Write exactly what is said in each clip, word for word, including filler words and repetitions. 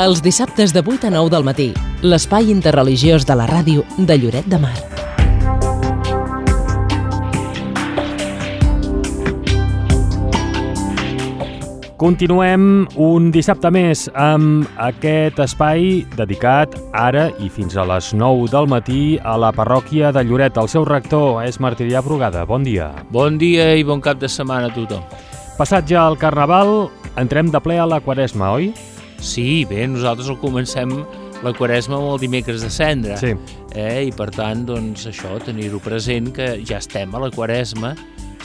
Els dissabtes de vuit a nou del matí, l'espai interreligiós de la ràdio de Lloret de Mar. Continuem un dissabte més amb aquest espai dedicat ara i fins a les nou del matí a la parròquia de Lloret. El seu rector és Martirià Brugada. Bon dia. Bon dia i bon cap de setmana a tothom. Passat ja el Carnaval, entrem de ple a la Quaresma, oi? Sí, bé, nosaltres el comencem la Quaresma amb el dimecres de Cendra. Sí. Eh? I per tant, doncs això, tenir-ho present, que ja estem a la Quaresma,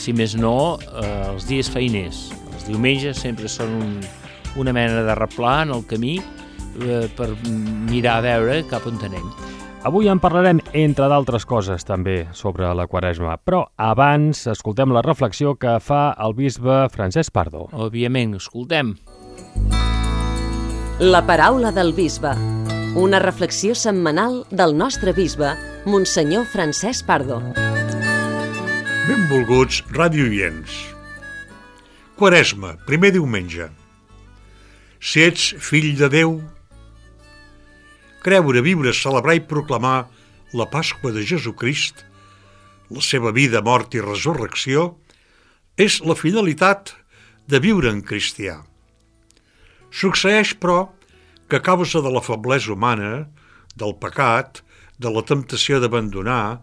si més no, eh, els dies feiners. Els diumenges sempre són un, una mena de replà en el camí eh, per mirar a veure cap on anem. Avui en parlarem, entre d'altres coses, també sobre la Quaresma, però abans escoltem la reflexió que fa el bisbe Francesc Pardo. Òbviament, escoltem. La paraula del bisbe. Una reflexió setmanal del nostre bisbe, Monsenyor Francesc Pardo. Benvolguts radiooients. Quaresma, primer diumenge. Si ets fill de Déu, creure, viure, celebrar i proclamar la Pasqua de Jesucrist, la seva vida, mort i resurrecció, és la finalitat de viure en cristià. Succeeix, però, que a causa de la feblesa humana, del pecat, de la temptació d'abandonar,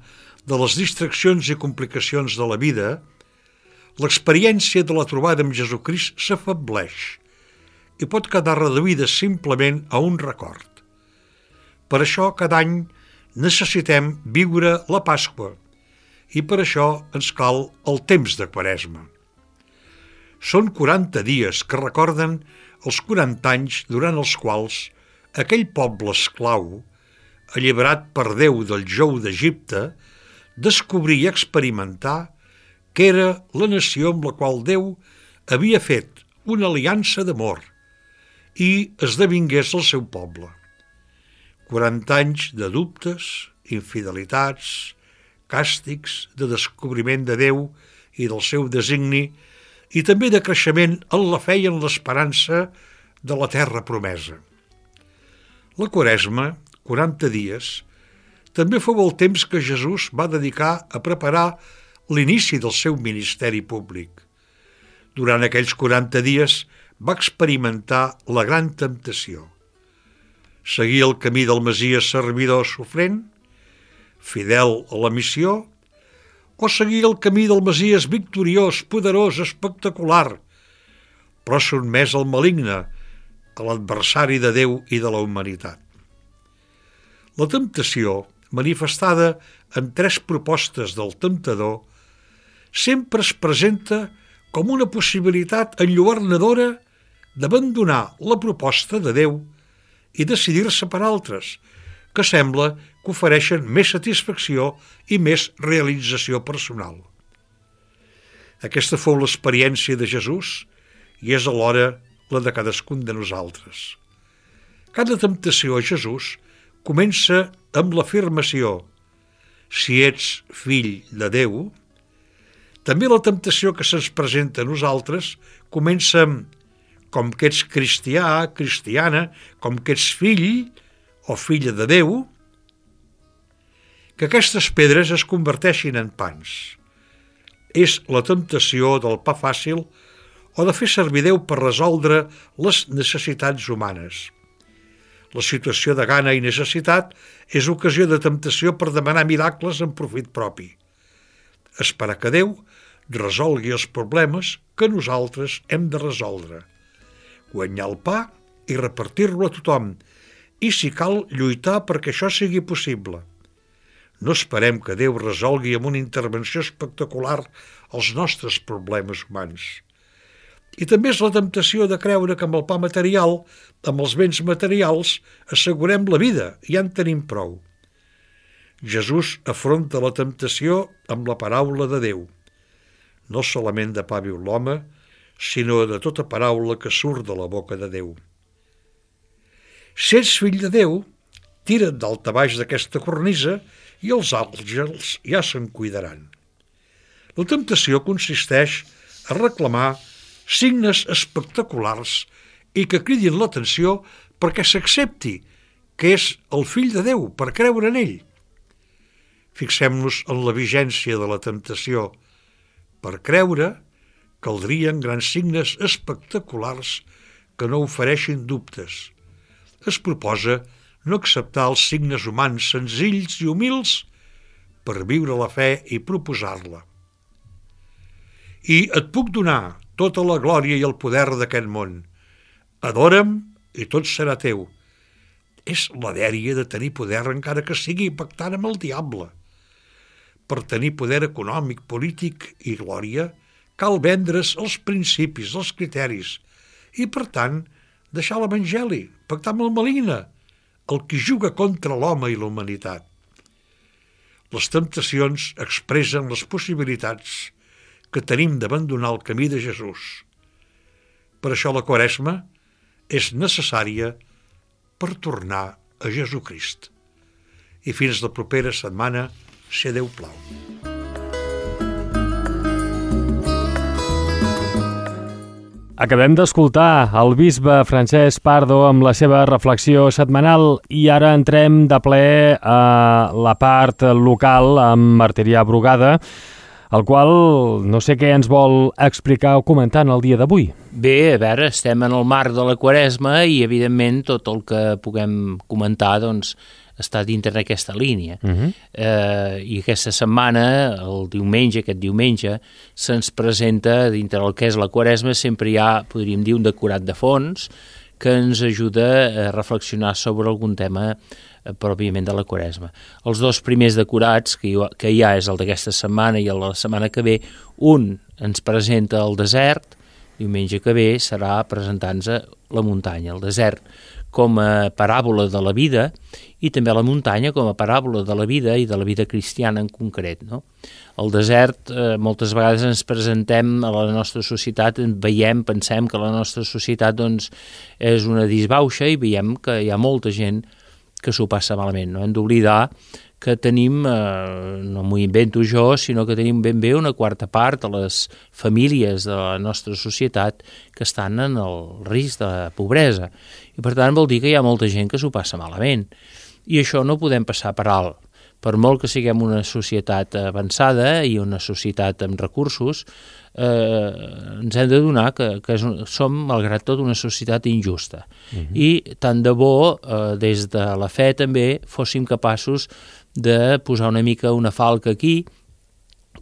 de les distraccions i complicacions de la vida, l'experiència de la trobada amb Jesucrist s'afebleix i pot quedar reduïda simplement a un record. Per això, cada any necessitem viure la Pasqua i per això ens cal el temps de Quaresma. Són quaranta dies que recorden els quaranta anys durant els quals aquell poble esclau, alliberat per Déu del jou d'Egipte, descobrí i experimentar que era la nació amb la qual Déu havia fet una aliança d'amor i esdevingués el seu poble. quaranta anys de dubtes, infidelitats, càstigs, de descobriment de Déu i del seu designi, i també de creixement en la fe i en l'esperança de la terra promesa. La Quaresma, quaranta dies, també fou el temps que Jesús va dedicar a preparar l'inici del seu ministeri públic. Durant aquells quaranta dies va experimentar la gran temptació. Seguir el camí del Messies servidor sofrent, fidel a la missió, o seguir el camí del Messies victoriós, poderós, espectacular, però sotmès al maligne, a l'adversari de Déu i de la humanitat. La temptació, manifestada en tres propostes del temptador, sempre es presenta com una possibilitat enlluernadora d'abandonar la proposta de Déu i decidir-se per altres, que sembla que ofereixen més satisfacció i més realització personal. Aquesta fou l'experiència de Jesús i és alhora la de cadascun de nosaltres. Cada temptació a Jesús comença amb l'afirmació «Si ets fill de Déu». També la temptació que se'ns presenta a nosaltres comença amb «Com que ets cristià, cristiana, com que ets fill o filla de Déu», que aquestes pedres es converteixin en pans. És la temptació del pa fàcil o de fer servir Déu per resoldre les necessitats humanes. La situació de gana i necessitat és ocasió de temptació per demanar miracles en profit propi. Esperar que Déu resolgui els problemes que nosaltres hem de resoldre. Guanyar el pa i repartir-lo a tothom, i si cal lluitar perquè això sigui possible. No esperem que Déu resolgui amb una intervenció espectacular els nostres problemes humans. I també és la temptació de creure que amb el pa material, amb els béns materials, assegurem la vida, ja en tenim prou. Jesús afronta la temptació amb la paraula de Déu. No solament de pa viu l'home, sinó de tota paraula que surt de la boca de Déu. Si ets fill de Déu, tira't dalt a baix d'aquesta cornisa i els àngels ja se'n cuidaran. La temptació consisteix a reclamar signes espectaculars i que cridin l'atenció perquè s'accepti que és el fill de Déu, per creure en ell. Fixem-nos en la vigència de la temptació. Per creure, caldrien grans signes espectaculars que no ofereixin dubtes. Es proposa no acceptar els signes humans senzills i humils per viure la fe i proposar-la. I et puc donar tota la glòria i el poder d'aquest món. Adora'm i tot serà teu. És la dèria de tenir poder encara que sigui pactant amb el diable. Per tenir poder econòmic, polític i glòria, cal vendre's els principis, els criteris, i, per tant, deixar l'Evangeli, pactar amb el maligre, el que juga contra l'home i la humanitat. Les temptacions expressen les possibilitats que tenim d'abandonar el camí de Jesús. Per això la Quaresma és necessària per tornar a Jesucrist. I fins la propera setmana, si Déu plau. Acabem d'escoltar el bisbe Francesc Pardo amb la seva reflexió setmanal i ara entrem de ple a la part local amb Martirià Brugada, el qual no sé què ens vol explicar o comentar en el dia d'avui. Bé, a veure, estem en el marc de la Quaresma i, evidentment, tot el que puguem comentar doncs, està dintre d'aquesta línia. Uh-huh. eh, I aquesta setmana, el diumenge, aquest diumenge, se'ns presenta, dintre del que és la Quaresma, sempre hi ha, podríem dir, un decorat de fons que ens ajuda a reflexionar sobre algun tema eh, pròpiament de la Quaresma. Els dos primers decorats que hi ha, que hi ha és el d'aquesta setmana i el de la setmana que ve. Un ens presenta el desert, diumenge que ve serà presentant-nos la muntanya, el desert com a paràbola de la vida i també la muntanya com a paràbola de la vida i de la vida cristiana en concret, no? El desert, eh, moltes vegades ens presentem a la nostra societat, veiem, pensem que la nostra societat doncs, és una disbauxa i veiem que hi ha molta gent que s'ho passa malament. No hem d'oblidar que tenim, eh, no m'ho invento jo, sinó que tenim ben bé una quarta part de les famílies de la nostra societat que estan en el risc de pobresa. I per tant vol dir que hi ha molta gent que s'ho passa malament. I això no podem passar per alt. Per molt que siguem una societat avançada i una societat amb recursos, eh, ens hem de donar que, que som, malgrat tot, una societat injusta. Uh-huh. I tant de bo, eh, des de la fe també, fóssim capaços de posar una mica una falca aquí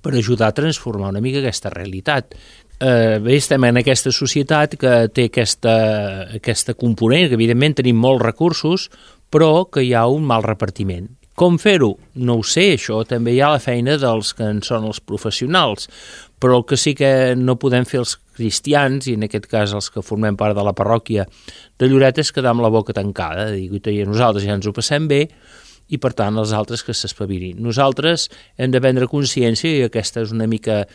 per ajudar a transformar una mica aquesta realitat. Eh, bé, estem en aquesta societat que té aquesta, aquesta component, que evidentment tenim molts recursos, però que hi ha un mal repartiment. Com fer-ho? No ho sé, això també hi ha la feina dels que en són els professionals, però el que sí que no podem fer els cristians, i en aquest cas els que formem part de la parròquia de Lloret, és quedar amb la boca tancada, dir que nosaltres ja ens ho passem bé, i per tant els altres que s'espavilin. Nosaltres hem de prendre consciència, i aquesta és una mica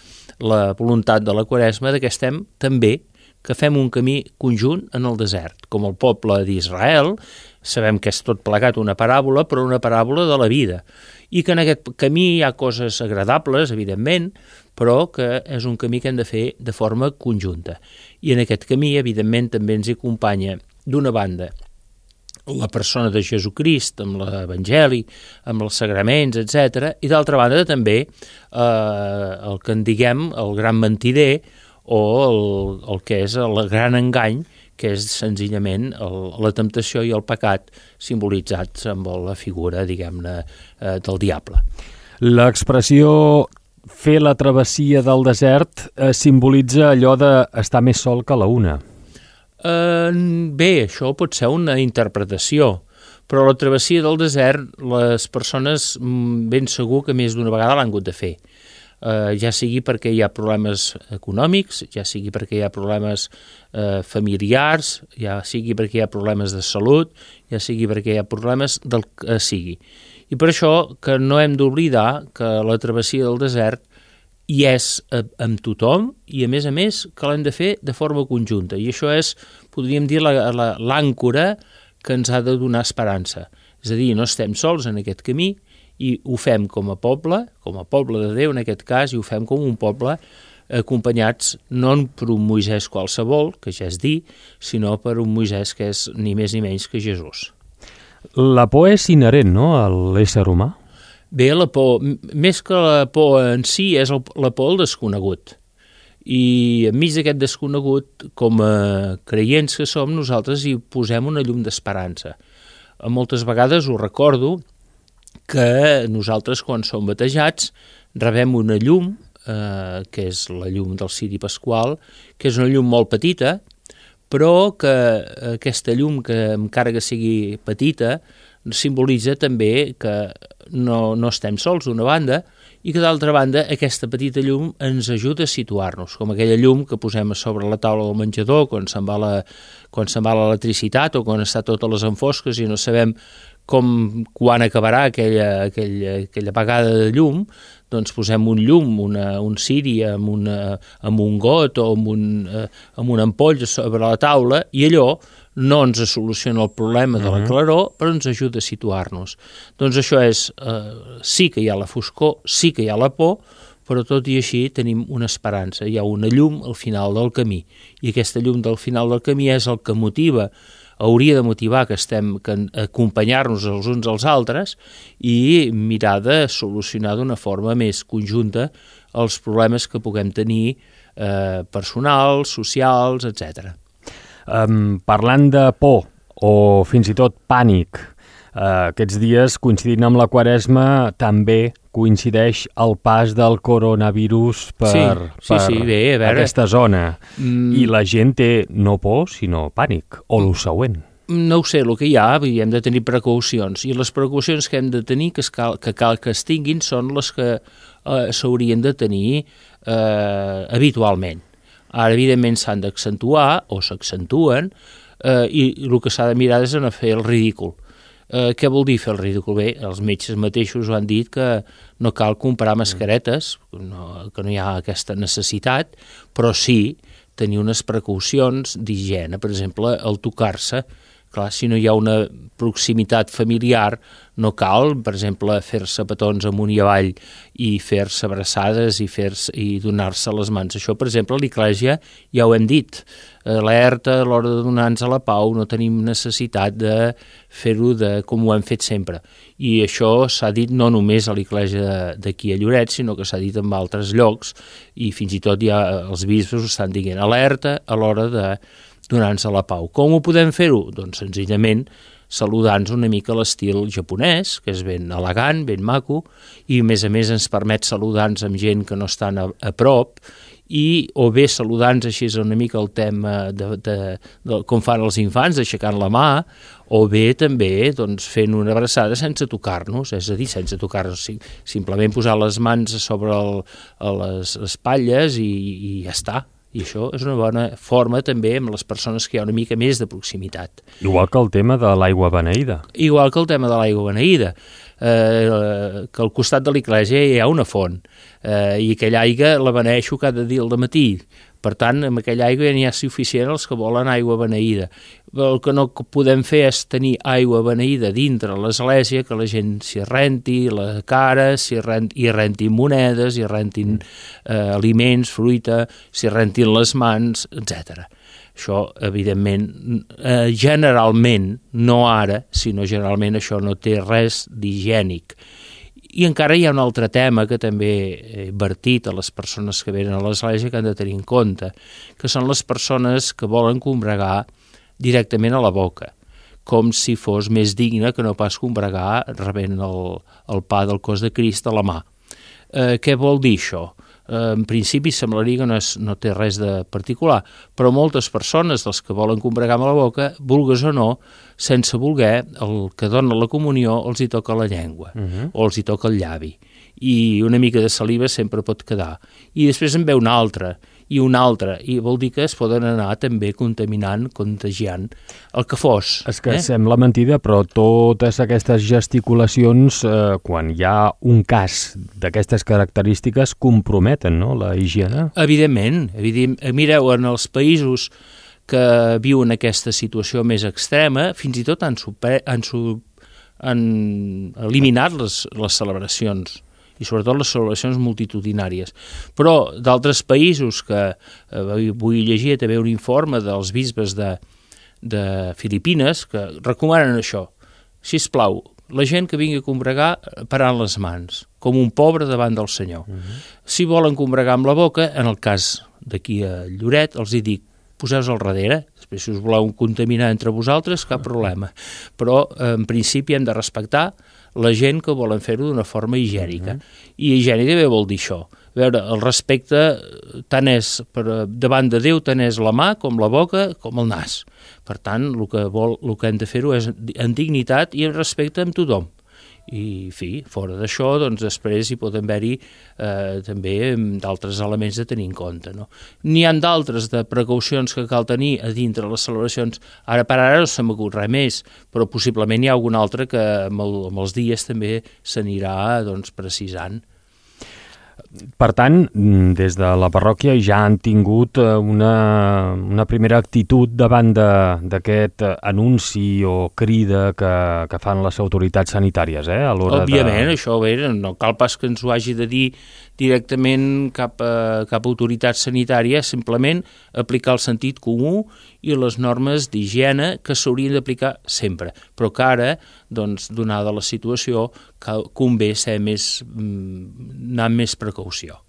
la voluntat de la Quaresma, que estem també, que fem un camí conjunt en el desert, com el poble d'Israel. Sabem que és tot plegat una paràbola, però una paràbola de la vida, i que en aquest camí hi ha coses agradables, evidentment, però que és un camí que hem de fer de forma conjunta. I en aquest camí, evidentment, també ens hi acompanya, d'una banda, la persona de Jesucrist, amb l'Evangeli, amb els sagraments, etcètera, i d'altra banda també eh, el que en diguem el gran mentider o el, el que és el gran engany, que és senzillament el, la temptació i el pecat simbolitzats amb la figura, diguem-ne, eh, del diable. L'expressió fer la travessia del desert eh, simbolitza allò d'estar més sol que la una. Uh, bé, això pot ser una interpretació, però la travessia del desert les persones ben segur que més d'una vegada l'han hagut de fer. Uh, ja sigui perquè hi ha problemes econòmics, ja sigui perquè hi ha problemes uh, familiars, ja sigui perquè hi ha problemes de salut, ja sigui perquè hi ha problemes del que sigui. I per això que no hem d'oblidar que la travessia del desert hi és amb tothom i, a més a més, que l'hem de fer de forma conjunta. I això és, podríem dir, l'àncora que ens ha de donar esperança. És a dir, no estem sols en aquest camí i ho fem com a poble, com a poble de Déu en aquest cas, i ho fem com un poble acompanyats no per un Moisès qualsevol, que ja és dir, sinó per un Moisès que és ni més ni menys que Jesús. La por és inherent, no?, a l'ésser humà? Bé, la por, més que la por en si, és el, la por al desconegut. I enmig d'aquest desconegut, com a creients que som, nosaltres hi posem una llum d'esperança. Moltes vegades ho recordo que nosaltres, quan som batejats, rebem una llum, eh, que és la llum del ciri pasqual, que és una llum molt petita, però que aquesta llum, que encara que sigui petita, simbolitza també que no, no estem sols, d'una banda, i que d'altra banda aquesta petita llum ens ajuda a situar-nos, com aquella llum que posem a sobre la taula del menjador quan se'n va la, quan se'n va l'electricitat o quan està totes les enfosques i no sabem com, quan acabarà aquella, aquella, aquella apagada de llum, doncs posem un llum, una, un ciri amb, una, amb un got o amb un, eh, amb un ampoll sobre la taula i allò no ens soluciona el problema de la claror, però ens ajuda a situar-nos. Doncs això és, eh, sí que hi ha la foscor, sí que hi ha la por, però tot i així tenim una esperança, hi ha una llum al final del camí, i aquesta llum del final del camí és el que motiva, hauria de motivar que estem que acompanyar-nos els uns als altres i mirar de solucionar d'una forma més conjunta els problemes que puguem tenir eh, personals, socials, etcètera. Um, parlant de por o fins i tot pànic, uh, aquests dies, coincidint amb la Quaresma, també coincideix el pas del coronavirus per, sí, sí, per sí, bé, a veure. aquesta zona. Mm. I la gent té no por, sinó pànic, o el següent. No ho sé, el que hi ha, i hem de tenir precaucions, i les precaucions que hem de tenir, que cal que, cal que es tinguin, són les que eh, s'haurien de tenir eh, habitualment. Ara, evidentment, s'han d'accentuar, o s'accentuen, eh, i el que s'ha de mirar és anar a fer el ridícul. Eh, què vol dir fer el ridícul? Bé, els metges mateixos ho han dit que no cal comprar mascaretes, no, que no hi ha aquesta necessitat, però sí tenir unes precaucions d'higiene, per exemple, el tocar-se. Clar, si no hi ha una proximitat familiar, no cal, per exemple, fer-se petons amunt i avall i fer-se abraçades i, fer i donar-se les mans. Això, per exemple, a l'Església ja ho hem dit. Alerta, a l'hora de donar-nos a la pau, no tenim necessitat de fer-ho com ho hem fet sempre. I això s'ha dit no només a l'Església d'aquí a Lloret, sinó que s'ha dit en altres llocs i fins i tot ja els bisbes ho estan dient. Alerta a l'hora de donar-nos a la pau. Com ho podem fer-ho? Doncs senzillament saludar-nos una mica a l'estil japonès, que és ben elegant, ben maco, i a més a més ens permet saludar-nos amb gent que no estan a, a prop, i o bé saludar-nos així una mica el tema de, de, de, com fan els infants, aixecant la mà, o bé també doncs, fent una abraçada sense tocar-nos, és a dir, sense tocar-nos, simplement posar les mans sobre el, a les espatlles i, i ja està. I això és una bona forma també amb les persones que hi ha una mica més de proximitat. Igual que el tema de l'aigua beneïda. Igual que el tema de l'aigua beneïda, eh, que al costat de l'Església hi ha una font, eh, i aquella aigua la beneixo cada dia al matí. Per tant, amb aquella aigua ja n'hi ha suficient els que volen aigua beneïda. El que no podem fer és tenir aigua beneïda dintre l'església, que la gent s'hi renti la cara, s'hi renti, hi rentin monedes, hi rentin eh, aliments, fruita, s'hi rentin les mans, etcètera. Això, evidentment, eh, generalment, no ara, sinó generalment això no té res d'higiènic. I encara hi ha un altre tema que també he advertit a les persones que venen a l'església que han de tenir en compte, que són les persones que volen combregar directament a la boca, com si fos més digne que no pas combregar rebent el, el pa del cos de Crist a la mà. Eh, què vol dir això? Eh, en principi semblaria que no, és, no té res de particular, però moltes persones dels que volen combregar amb la boca, vulgues o no, sense voler, el que dona la comunió els hi toca la llengua, uh-huh. o els hi toca el llavi, i una mica de saliva sempre pot quedar. I després en ve una altra, i una altra, i vol dir que es poden anar també contaminant, contagiant, el que fos. És que eh? sembla mentida, però totes aquestes gesticulacions, eh, quan hi ha un cas d'aquestes característiques, comprometen, no?, la higiene. Evidentment, evident. Mireu, en els països que viuen aquesta situació més extrema, fins i tot han, super, han, han eliminat les, les celebracions. i sobretot les celebracions multitudinàries. Però d'altres països que eh, vull llegir també un informe dels bisbes de, de Filipines que recomanen això. Sisplau, la gent que vingui a combregar parant les mans, com un pobre davant del Senyor. Uh-huh. Si volen combregar amb la boca, en el cas d'aquí a Lloret, els hi dic, poseu-vos al darrere, després si us voleu contaminar entre vosaltres, cap problema. Però en principi hem de respectar la gent que volen fer-ho d'una forma higiènica. Uh-huh. I higiènica bé vol dir això. A veure, el respecte tant és per, davant de Déu, tant és la mà com la boca com el nas. Per tant, el que, vol, el que hem de fer-ho és en dignitat i en respecte amb tothom. I, en fi, fora d'això, doncs després hi poden haver-hi eh, també d'altres elements de tenir en compte. No? N'hi ha d'altres de precaucions que cal tenir a dintre les celebracions. Ara per ara no se m'acut res més, però possiblement hi ha algun altre que amb, el, amb els dies també s'anirà doncs, precisant. Per tant, des de la parròquia ja han tingut una, una primera actitud davant d'aquest anunci o crida que, que fan les autoritats sanitàries, eh? A l'hora Òbviament, de... això bé, no cal pas que ens ho hagi de dir directament cap, a, cap autoritat sanitària, simplement aplicar el sentit comú i les normes d'higiene que s'haurien d'aplicar sempre, però que ara, doncs, donada la situació, convé ser més, anar amb més precaució.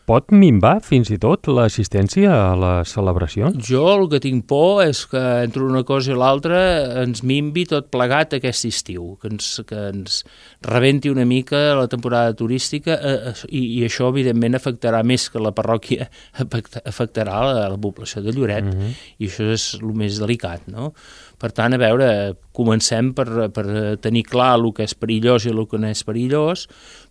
Pot minvar fins i tot l'assistència a les celebracions? Jo el que tinc por és que entre una cosa i l'altra ens minvi tot plegat aquest estiu, que ens, que ens rebenti una mica la temporada turística eh, i, i això evidentment afectarà més que la parròquia, afectarà la, la població de Lloret, uh-huh. I això és el més delicat, no? Per tant, a veure, comencem per, per tenir clar el que és perillós i el que no és perillós,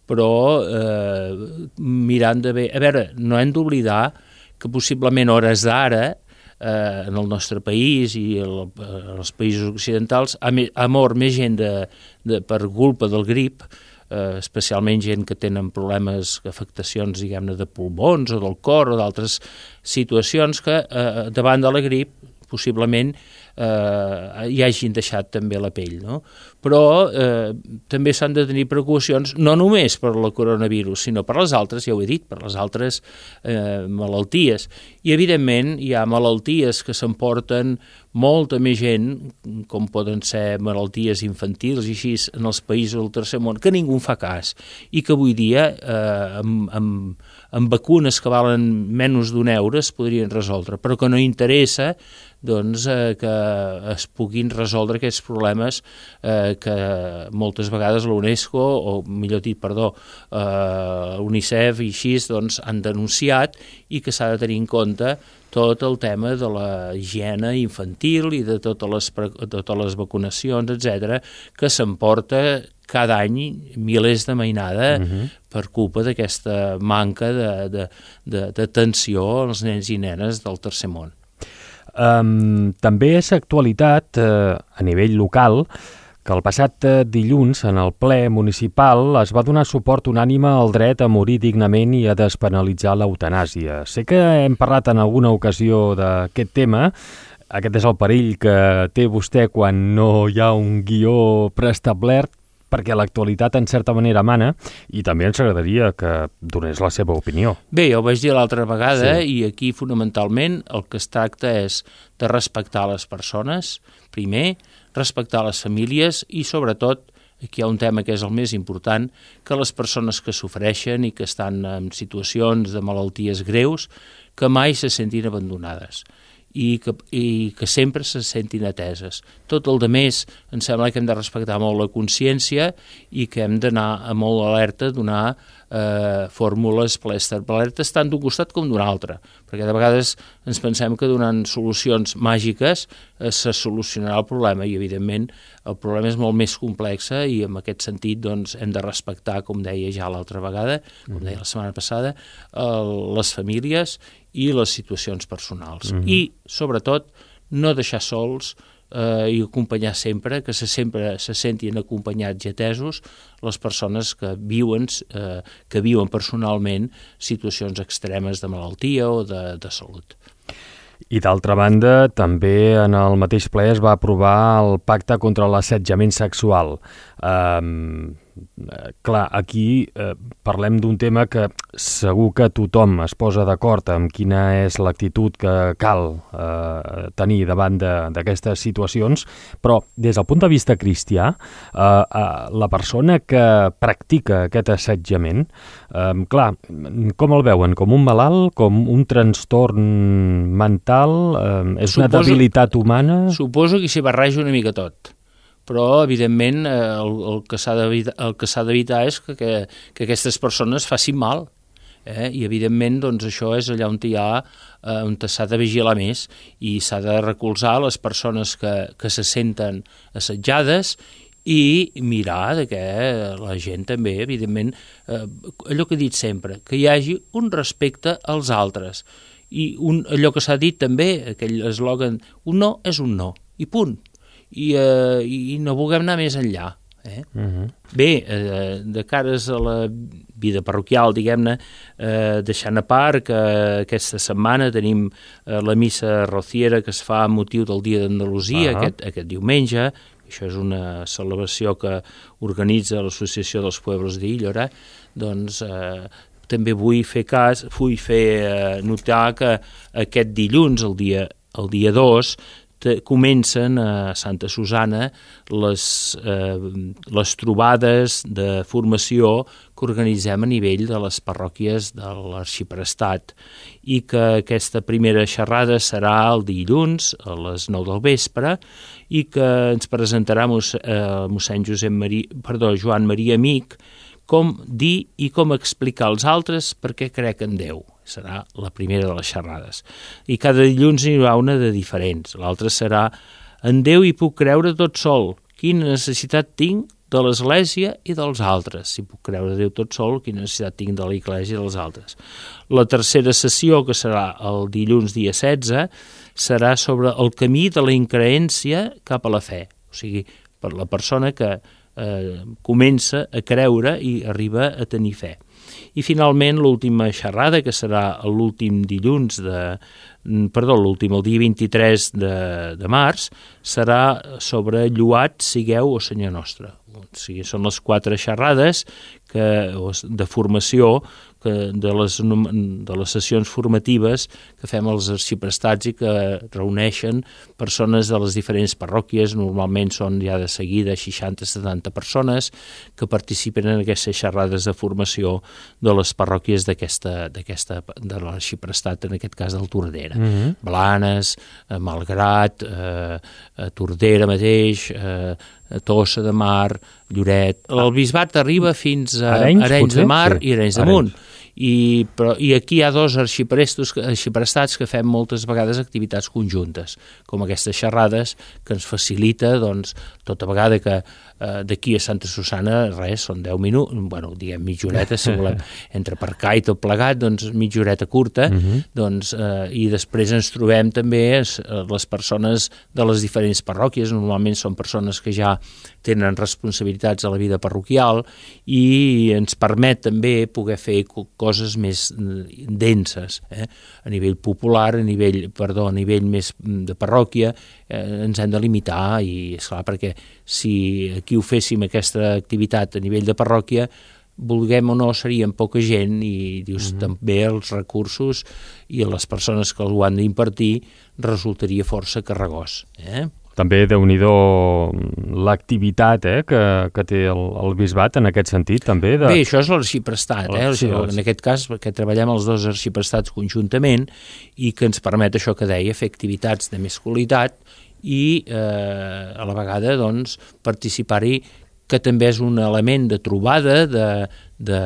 però eh, mirant de bé... A veure, no hem d'oblidar que possiblement hores d'ara, eh, en el nostre país i el, els països occidentals, ha, ha mort més gent de, de, per culpa del grip, eh, especialment gent que tenen problemes, afectacions, diguem-ne, de pulmons o del cor o d'altres situacions que eh, davant de la grip possiblement eh, hi hagin deixat també la pell, no? Però eh, també s'han de tenir precaucions, no només per la coronavirus, sinó per les altres, ja ho he dit, per les altres eh, malalties. I, evidentment, hi ha malalties que s'emporten molta més gent, com poden ser malalties infantils i així en els països del tercer món, que ningú en fa cas, i que avui dia, eh, amb, amb, amb vacunes que valen menys d'un euro, es podrien resoldre, però que no interessa doncs, eh, que es puguin resoldre aquests problemes eh, que moltes vegades la UNESCO, o millor dit, perdó, eh, UNICEF i així doncs, han denunciat i que s'ha de tenir en compte tot el tema de la higiene infantil i de totes les, de totes les vacunacions, etcètera, que s'emporta cada any milers de mainada uh-huh. per culpa d'aquesta manca d'atenció als nens i nenes del tercer món. Um, també és actualitat uh, a nivell local que el passat uh, dilluns en el ple municipal es va donar suport unànime al dret a morir dignament i a despenalitzar l'eutanàsia. Sé que hem parlat en alguna ocasió d'aquest tema. Aquest és el perill que té vostè quan no hi ha un guió preestablert, perquè l'actualitat en certa manera mana i també ens agradaria que donés la seva opinió. Bé, ja ho vaig dir l'altra vegada sí. I aquí fonamentalment el que es tracta és de respectar les persones, primer, respectar les famílies i sobretot, aquí hi ha un tema que és el més important, que les persones que sofreixen i que estan en situacions de malalties greus, que mai se sentin abandonades. I que, i que sempre se sentin ateses. Tot el de més em sembla que hem de respectar molt la consciència i que hem d'anar a molt alerta, donar eh, fórmules alertes tant d'un costat com d'un altre, perquè de vegades ens pensem que donant solucions màgiques eh, se solucionarà el problema i evidentment el problema és molt més complex i en aquest sentit doncs, hem de respectar, com deia ja l'altra vegada, com deia la setmana passada, el, les famílies i les situacions personals. Mm-hmm. I, sobretot, no deixar sols eh, i acompanyar sempre, que se, sempre se sentin acompanyats i atesos les persones que viuen, eh, que viuen personalment situacions extremes de malaltia o de, de salut. I d'altra banda, també en el mateix ple es va aprovar el pacte contra l'assetjament sexual. Um, clar, aquí eh, parlem d'un tema que segur que tothom es posa d'acord amb quina és l'actitud que cal eh, tenir davant d'aquestes situacions, però des del punt de vista cristià, eh, eh, la persona que practica aquest assetjament, eh, clar, com el veuen? Com un malalt? Com un trastorn mental? Eh, és una Suposo, debilitat humana? Suposo que s'hi barreja una mica tot. Però, evidentment, el, el que s'ha d'evitar és que, que, que aquestes persones facin mal. Eh? I, evidentment, doncs, això és allà on hi ha, eh, on s'ha de vigilar més i s'ha de recolzar les persones que, que se senten assetjades i mirar de que la gent també, evidentment, eh, allò que he dit sempre, que hi hagi un respecte als altres. I un, allò que s'ha dit també, aquell eslògan, un no és un no, i punt. I, eh, i no vulguem anar més enllà. Eh? Uh-huh. Bé, eh, de cares a la vida parroquial, diguem-ne, eh, deixant a part que aquesta setmana tenim eh, la missa rociera que es fa amb motiu del Dia d'Andalusia, uh-huh. aquest, aquest diumenge. Això és una celebració que organitza l'Associació dels Pueblos d'Illora. Doncs eh, també vull fer cas, vull fer eh, notar que aquest dilluns, el dia, el dia dos, comencen a Santa Susana les, eh, les trobades de formació que organitzem a nivell de les parròquies de l'Arxiprestat i que aquesta primera xerrada serà el dilluns a les nou del vespre i que ens presentarà mos, eh, mossèn Josep Maria, perdó, Joan Maria Amic, com dir i com explicar als altres per què crec en Déu. Serà la primera de les xerrades. I cada dilluns hi haurà una de diferents. L'altra serà en Déu hi puc creure tot sol. Quina necessitat tinc de l'Església i dels altres. Si puc creure Déu tot sol, quina necessitat tinc de l'Església i dels altres. La tercera sessió, que serà el dilluns dia setze, serà sobre el camí de la increència cap a la fe. O sigui, per la persona que eh, comença a creure i arriba a tenir fe. I finalment l'última xerrada, que serà l'últim dilluns de... Perdó, l'últim, el dia vint-i-tres de, de març, serà sobre Lloat sigueu, o Senyor nostre. O sigui, són les quatre xerrades que, de formació que, de, les, de les sessions formatives que fem als arxiprestats i que reuneixen persones de les diferents parròquies. Normalment són ja de seguida seixanta a setanta persones que participen en aquestes xerrades de formació de les parròquies d'aquesta, d'aquesta, de l'arxiprestat, en aquest cas del Tordera. Mm-hmm. Blanes, eh, Malgrat, eh, eh, Tordera mateix, eh, Tossa de Mar, Lloret. El bisbat arriba fins a Arenys, Arenys de Mar sí. i Arenys de Munt. I, però, I aquí hi ha dos arxiprestos, arxiprestats que fem moltes vegades activitats conjuntes, com aquestes xerrades que ens facilita, doncs, tota vegada que eh, d'aquí a Santa Susana, res, són deu minuts, bueno, diguem mitja horeta, si volem, entre aparcar i tot plegat, doncs mitja horeta curta, uh-huh. doncs, eh, i després ens trobem també les persones de les diferents parròquies, normalment són persones que ja tenen responsabilitats a la vida parroquial i ens permet també poder fer coses més denses, eh? A nivell popular, a nivell, perdó, a nivell més de parròquia, eh, ens hem de limitar i, esclar, perquè si aquí ho féssim aquesta activitat a nivell de parròquia, vulguem o no, serien poca gent i dius, mm-hmm. també els recursos i les persones que ho han d'impartir resultaria força carregós, eh? També, Déu-n'hi-do, l'activitat eh, que, que té el, el bisbat en aquest sentit, també. De... Bé, això és l'arxiprestat, eh? Sí, en aquest cas, perquè treballem els dos arxiprestats conjuntament i que ens permet això que deia, fer activitats de més qualitat i eh, a la vegada doncs, participar-hi, que també és un element de trobada, de, de,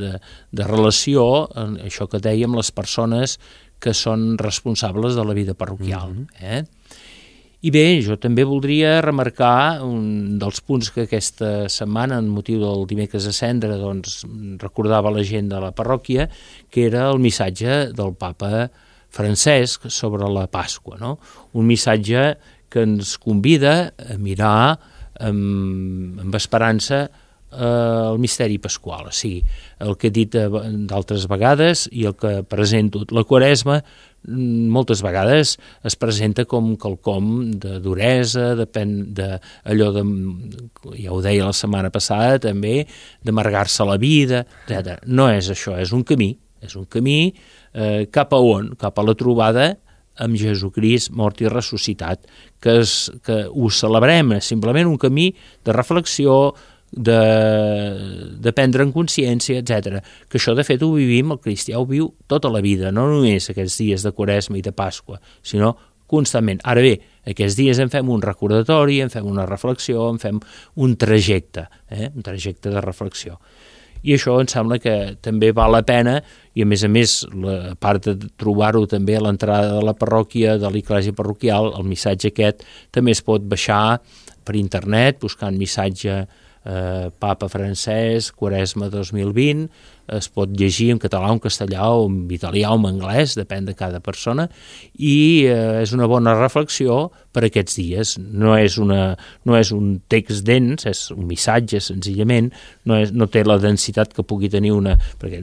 de, de relació, això que dèiem, les persones que són responsables de la vida parroquial, eh? I bé, jo també voldria remarcar un dels punts que aquesta setmana, en motiu del dimecres de Cendra, doncs, recordava la gent de la parròquia, que era el missatge del papa Francesc sobre la Pasqua, no? Un missatge que ens convida a mirar amb, amb esperança eh, el misteri pasqual, o sigui, el que he dit d'altres vegades i el que presento. La Quaresma moltes vegades es presenta com quelcom de duresa, depèn d'allò de, ja ho deia la setmana passada també, d'amargar-se la vida, etcètera. No és això, és un camí, és un camí eh, cap a on? Cap a la trobada amb Jesucrist mort i ressuscitat, que, és, que ho celebrem, és simplement un camí de reflexió, de, de prendre en consciència, etcètera. Que això, de fet, ho vivim, el cristià ho viu tota la vida, no només aquests dies de Quaresma i de Pasqua, sinó constantment. Ara bé, aquests dies en fem un recordatori, en fem una reflexió, en fem un trajecte, eh? un trajecte de reflexió. I això em sembla que també val la pena, i a més a més, la part de trobar-ho també a l'entrada de la parròquia, de l'església parroquial, el missatge aquest també es pot baixar per internet, buscant missatge eh, Papa Francesc, Quaresma dos mil vint, es pot llegir en català, en castellà, o en italià o en anglès, depèn de cada persona, i eh, és una bona reflexió per aquests dies. No és, una, no és un text dens, és un missatge, senzillament, no, és, no té la densitat que pugui tenir una... Perquè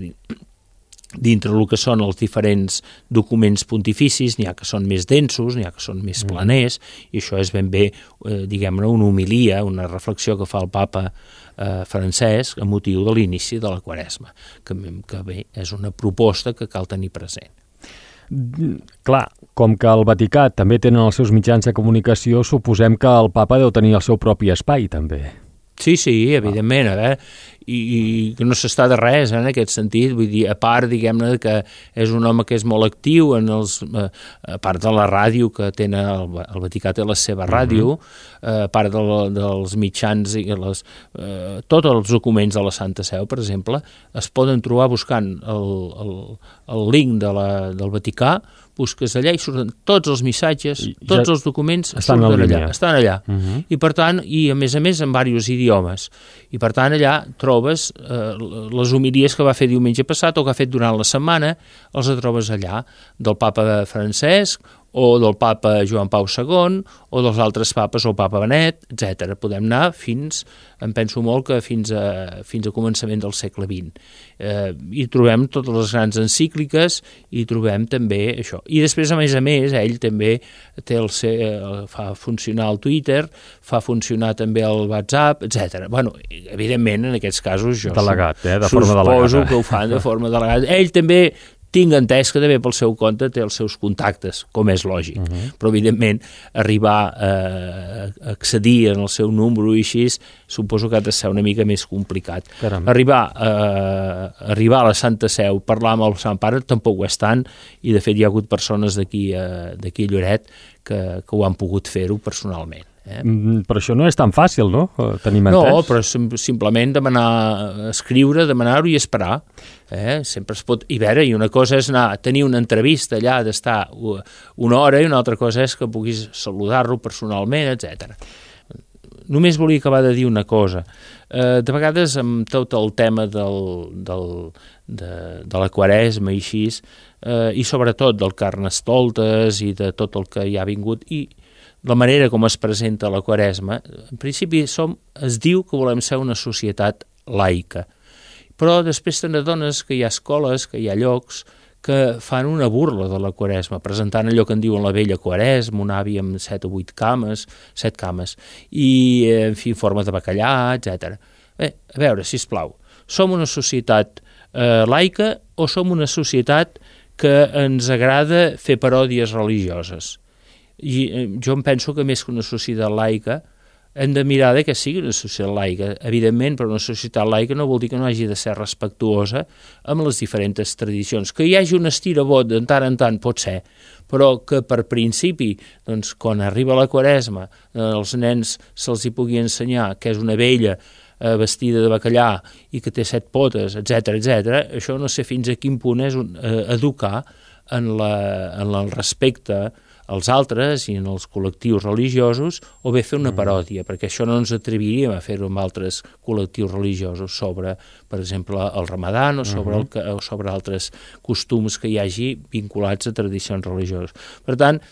dintre el que són els diferents documents pontificis, n'hi ha que són més densos, n'hi ha que són més planers, i això és ben bé, eh, diguem-ne, una homilia, una reflexió que fa el papa eh, Francesc a motiu de l'inici de la Quaresma, que, que bé, és una proposta que cal tenir present. Clar, com que el Vaticà també tenen els seus mitjans de comunicació, suposem que el papa deu tenir el seu propi espai, també. Sí, sí, evidentment, a veure, i, i que no s'està de res eh, en aquest sentit, vull dir, a part, diguem-ne, que és un home que és molt actiu en els, eh, a part de la ràdio que tenen, el, el Vaticà té la seva ràdio, uh-huh. a part de la, dels mitjans i les, eh, tots els documents de la Santa Seu, per exemple, es poden trobar buscant el, el, el link de la, del Vaticà, busques allà i surten tots els missatges, I tots ja els documents estan surten allà, estan allà. Uh-huh. I per tant, i a més a més en diversos idiomes. I per tant allà trobes eh, les homilies que va fer diumenge passat o que ha fet durant la setmana, els trobes allà, del papa Francesc o del papa Joan Pau segon o dels altres papes o papa Benet, etcètera. Podem anar fins, em penso molt que fins a, fins a començament del segle vint. Eh, I trobem totes les grans encícliques i trobem també això. I després, a més a més, ell també té el ser, fa funcionar el Twitter, fa funcionar també el WhatsApp, etcètera. Bueno, evidentment, en aquests casos, jo delegat, eh? De forma suposo delegada. que ho fan de forma delegada. Ell també tinc entès que també pel seu compte té els seus contactes, com és lògic, uh-huh. però evidentment arribar a accedir en el seu número i així, suposo que ha de ser una mica més complicat. Caram. Arribar a, arribar a la Santa Seu, parlar amb el Sant Pare, tampoc ho és tant, i de fet hi ha hagut persones d'aquí a, d'aquí a Lloret que, que ho han pogut fer-ho personalment. Eh? Mm, però això no és tan fàcil, no? Tenim entès. No, però sim simplement demanar, escriure, demanar-ho i esperar. Eh? Sempre es pot... I veure, i una cosa és anar a tenir una entrevista allà, d'estar una hora, i una altra cosa és que puguis saludar-lo personalment, etcètera. Només volia acabar de dir una cosa. Eh, de vegades, amb tot el tema del, del, de, de la Quaresma i així, eh, i sobretot del Carnestoltes i de tot el que hi ha vingut, i la manera com es presenta la Quaresma, en principi som, es diu que volem ser una societat laica, però després te n'adones que hi ha escoles, que hi ha llocs que fan una burla de la Quaresma, presentant allò que en diuen la vella Quaresma, un avi amb set o vuit cames, set cames, i en fi, forma de bacallà, etcètera. Bé, a veure, sisplau, som una societat eh, laica o som una societat que ens agrada fer paròdies religioses? I jo em penso que més que una societat laica hem de mirar de que sigui una societat laica. Evidentment, però una societat laica no vol dir que no hagi de ser respectuosa amb les diferents tradicions. Que hi hagi un estirabot de tant en tant pot ser, però que per principi, doncs, quan arriba la Quaresma, els nens se'ls hi pugui ensenyar que és una vella eh, vestida de bacallà i que té set potes, etcètera, etcètera, això no sé fins a quin punt és un, eh, educar en, la, en el respecte als altres i en els col·lectius religiosos, o bé fer una paròdia, perquè això no ens atreviríem a fer-ho amb altres col·lectius religiosos sobre, per exemple, el Ramadan o sobre, el, o sobre altres costums que hi hagi vinculats a tradicions religioses. Per tant,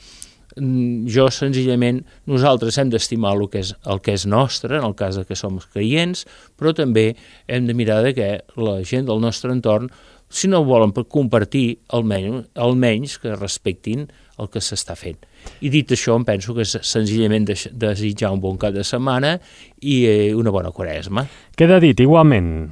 jo senzillament, nosaltres hem d'estimar el que és, el que és nostre, en el cas de que som creients, però també hem de mirar de que la gent del nostre entorn, si no volen compartir, almenys, almenys que respectin el que s'està fent. I dit això, em penso que és senzillament desitjar un bon cap de setmana i una bona quaresma. Queda dit, igualment.